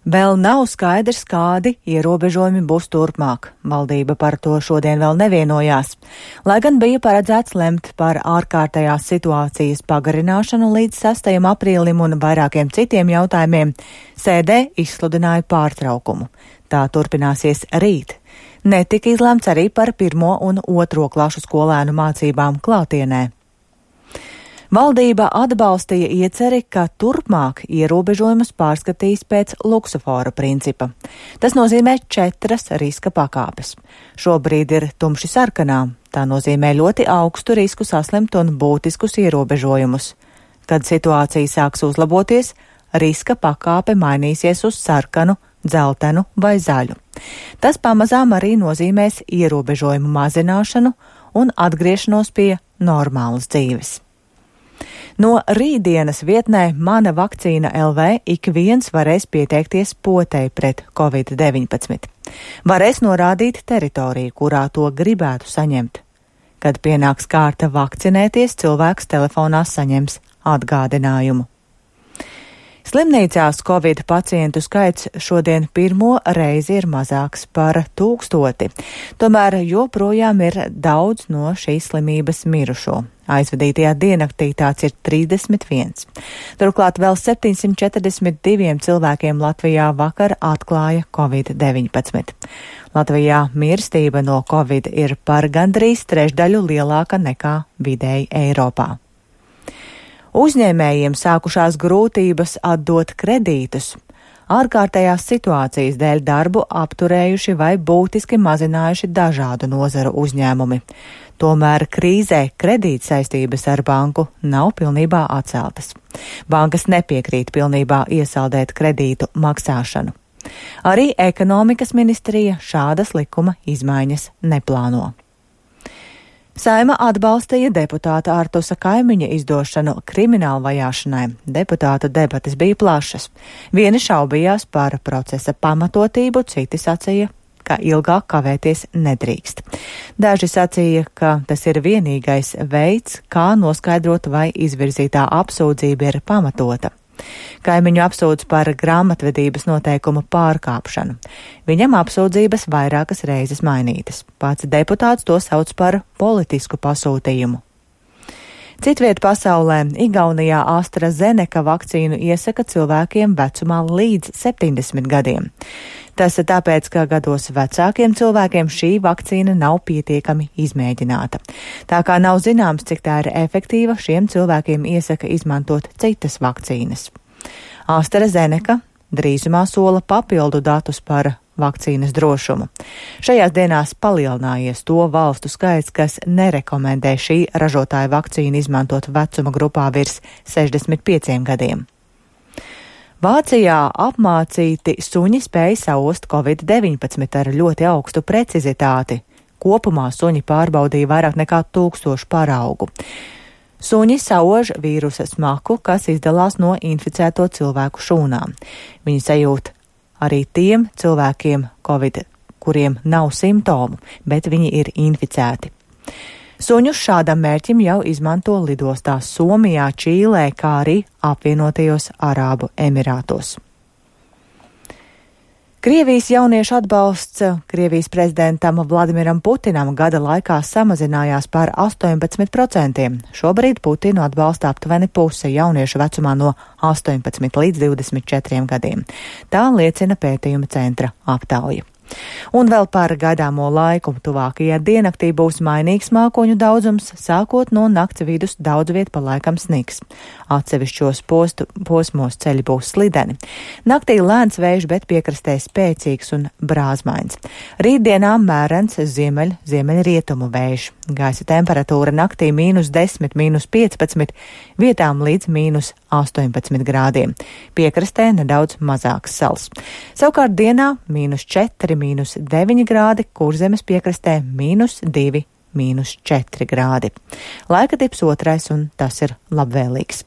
Vēl nav skaidrs, kādi ierobežojumi būs turpmāk. Valdība par to šodien vēl nevienojās. Lai gan bija paredzēts lemt par ārkārtējās situācijas pagarināšanu līdz 6. aprīlim un vairākiem citiem jautājumiem, sēdē izsludināja pārtraukumu. Tā turpināsies rīt. Netika izlemts arī par 1. un 2. klašu skolēnu mācībām klātienē. Valdība atbalstīja ieceri, ka turpmāk ierobežojumus pārskatīs pēc luksofora principa. Tas nozīmē 4 riska pakāpes. Šobrīd ir tumši sarkanā. Tā nozīmē ļoti augstu risku saslimt un būtiskus ierobežojumus. Kad situācija sāks uzlaboties, riska pakāpe mainīsies uz sarkanu, dzeltenu vai zaļu. Tas pamazām arī nozīmēs ierobežojumu mazināšanu un atgriešanos pie normālas dzīves. No rītdienas vietnē Mana vakcīna LV ik viens varēs pieteikties potei pret Covid-19. Varēs norādīt teritoriju, kurā to gribētu saņemt. Kad pienāks kārta vakcinēties, cilvēks telefonā saņems atgādinājumu. Slimnīcās Covid pacientu skaits šodien pirmo reizi ir mazāks par 1000. Tomēr joprojām ir daudz no šīs slimības mirušo. Aizvadītajā diennaktī tāds ir 31. Turklāt vēl 742 cilvēkiem Latvijā vakar atklāja Covid-19. Latvijā mirstība no Covid ir par gandrīz trešdaļu lielāka nekā vidēji Eiropā. Uzņēmējiem sākušās grūtības atdot kredītus. Ārkārtējās situācijas dēļ darbu apturējuši vai būtiski mazinājuši dažādu nozaru uzņēmumi. Tomēr krīzē kredītsaistības ar banku nav pilnībā atceltas. Bankas nepiekrīt pilnībā iesaldēt kredītu maksāšanu. Arī ekonomikas ministrija šādas likuma izmaiņas neplāno. Saima atbalstīja deputāta Artusa Kaimiņa izdošanu krimināla vajāšanai. Deputātu debates bija plašas. Vieni šaubījās par procesa pamatotību, citi sacīja, ka ilgāk kavēties nedrīkst. Daži sacīja, ka tas ir vienīgais veids, kā noskaidrot, vai izvirzītā apsūdzība ir pamatota. Kaimiņu apsūdz par grāmatvedības noteikumu pārkāpšanu. Viņam apsūdzības vairākas reizes mainītas. Pats deputāts to sauc par politisku pasūtījumu. Citviet pasaulē Igaunijā AstraZeneca vakcīnu iesaka cilvēkiem vecumā līdz 70 gadiem. Tas ir tāpēc, ka gados vecākiem cilvēkiem šī vakcīna nav pietiekami izmēģināta. Tā kā nav zināms, cik tā ir efektīva, šiem cilvēkiem iesaka izmantot citas vakcīnas. AstraZeneca drīzumā sola papildu datus par vakcīnas drošumu. Šajās dienās palielinājies to valstu skaits, kas nerekomendē šī ražotāja vakcīnu izmantot vecuma grupā virs 65 gadiem. Vācijā apmācīti suņi spēja saost Covid-19 ar ļoti augstu precizitāti. Kopumā suņi pārbaudīja vairāk nekā 1000 paraugu. Suņi sauž vīrusa smaku, kas izdalās no inficēto cilvēku šūnām. Viņi sajūt arī tiem cilvēkiem Covid, kuriem nav simptomu, bet viņi ir inficēti. Suņus šādam mērķim jau izmanto lidostās Somijā, Čīlē, kā arī apvienotajos Arābu Emirātos. Krievijas jauniešu atbalsts Krievijas prezidentam Vladimiram Putinam gada laikā samazinājās par 18%. Šobrīd Putinu atbalsta aptuveni puse jauniešu vecumā no 18 līdz 24 gadiem. Tā liecina pētījuma centra aptauja. Un vēl par gaidāmo laiku. Tuvākajā diennaktī būs mainīgs mākoņu daudzums, sākot no nakts vidus daudz viet pa laikam sniks. Atsevišķos posmos ceļi būs slideni. Naktī lēns vējš, bet piekrastē spēcīgs un brāzmains. Rītdienā mērens ziemeļrietumu vējš. Gaisa temperatūra naktī -10, -15, vietām līdz -18 grādiem. Piekrastē nedaudz mazāks sals. Savukārt dienā -4, -9 grādi, Kurzemes piekrastē -2, -4 grādi. Laika tips otrais, un tas ir labvēlīgs.